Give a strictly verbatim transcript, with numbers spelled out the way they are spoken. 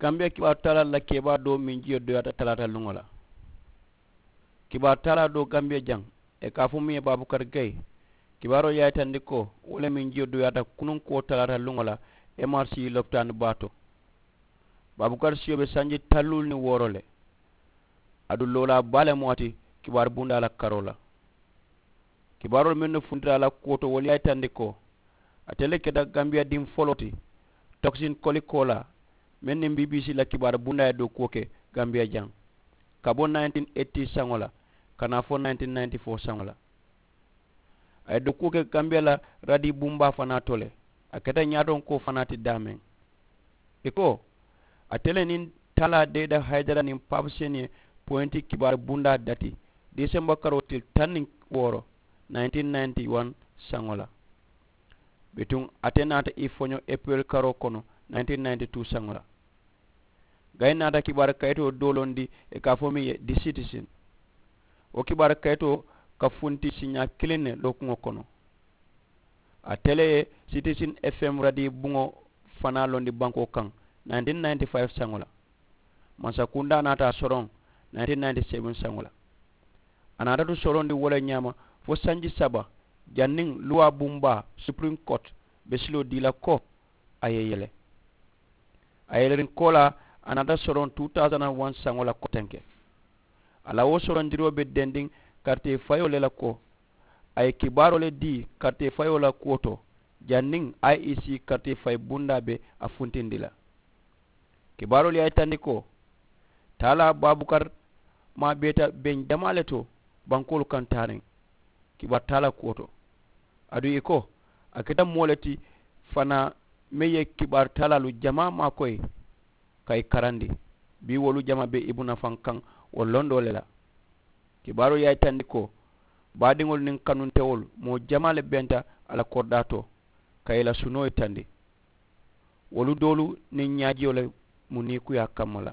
Gambiya kibaaru taalaalu la kebaa doo meŋ jiyo doyaata talaata luŋo la. Kibaaru taalaa doo gambiya jaŋ, ì ka a fo muŋ ye baabukari gayi, kibaaroo ye a yitandi ko wo le meŋ jiyo doyaata kunuŋ kuwo talaata luŋo la, emarisi lopitaani baa to. Baabukari siyo be sanji taŋ luulu niŋ wooro le. Aduŋ loolaa baa le mu a ti kibaaru bundaa la karoo la. Kibaaroolu mennu funtita a la kuwo to wolu ye a yitandi ko ate le keta gambiya diŋ foloo ti, tokisin koli koolaa, meŋ niŋ bbc la kibaaru bundaa ye dookuwo ke gambiya jaŋ, ka bo nineteen eighty saŋo la ka naa fo nineteen ninety four saŋo la. A ye dookuwo ke gambiya la radii bunbaa fanaa to le. A keta ñaatonkoo fanaa ti daameŋ. Ì ko ate le niŋ taalaa deeda hayidara niŋ papiseni ye poyinti kibaaru bundaa dati disemba karoo tili taŋ niŋ wooro nineteen ninety one saŋo la. Bituŋ ate naata ì foño epiril karoo kono nineteen ninety two saŋo la. Gayi naata kibaaru kayitoo doo londi ì ka a fo meŋ ye di sitisin. Wo kibaaru kayitoo ka funti siiñaa kiliŋ ne lookuŋo kono. Ate le ye sitisin fm radii buŋo fanaa londi bankoo kaŋ nineteen ninety five saŋo la. Mansakundaa naata a soroŋ nineteen ninety seven saŋo la. A naata tu sorondi wo le ñaama fo sanji saba, janniŋ luwaa bunbaa supiriŋ kooti be siloo dii la ko a ye yele. A yeleriŋ koolaa a naata soroŋ two thousand and one saŋo la kotenke. A la wo sorondiroo be dendiŋ karitee fayoo le la ko a ye kibaaroo le dii karitee fayoo la kuwo to, janniŋ i e c karitee fayi bundaa be a funtindi la. Kibaaroolu ye a yitandi ko taalaa baabukari maa beeta beŋ jamaa le to bankoolu kaŋ taariŋ kibaaru taalaa kuwo to. Aduŋ ì ko a keta moo le ti fanaa meŋ ye kibaaru taalaalu jamaa maakoyi ka ì karandi. Bii wolu jamaa be ibu nafaŋ kaŋ wo londoo le la. Kibaaroo ye a yitandi ko baadiŋolu niŋ kanuntewolu moo jamaa le benta a la koridaa to ka ì la sunoo yitandi. Wolu doolu niŋ ñaajiyo le mu niikuyaa kamma la.